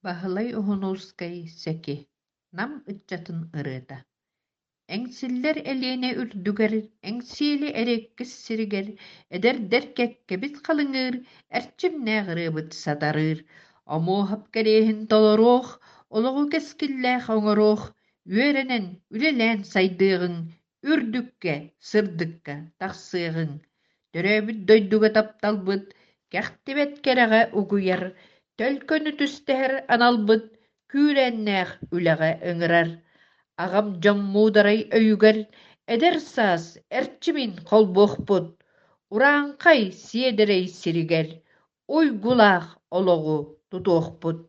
Баһылай Уһунуускай Сэки Нам ыччатын ырыата Эҥсиллэр Элиэнэ үрдүгэр, Эҥсиэли эриэккэс сиригэр Эдэрдэр кэккэбит халыҥыыр, Эрчимнээх ырыабыт сатарыыр. Омуоһап кэриэһин толоруох, Олоҕу кэскиллээх оҥоруох, Үөрэнэн, үлэлээн сайдыаҕыҥ, Үрдүккэ, сырдыкка тахсыаҕыҥ. Төрөөбүт дойдуга тапталбыт Кэхтибэт кэрэҕэ угуйар, Төлкөнү түстэһэр аналбыт Күүрээннээх үлэҕэ ыҥырар. Аҕам дьон муударай өйүгэр Эдэр саас эрчимин холбуохпут, Урааҥхай сиэдэрэй сиригэр Уйгулаах олоҕу тутуохпут.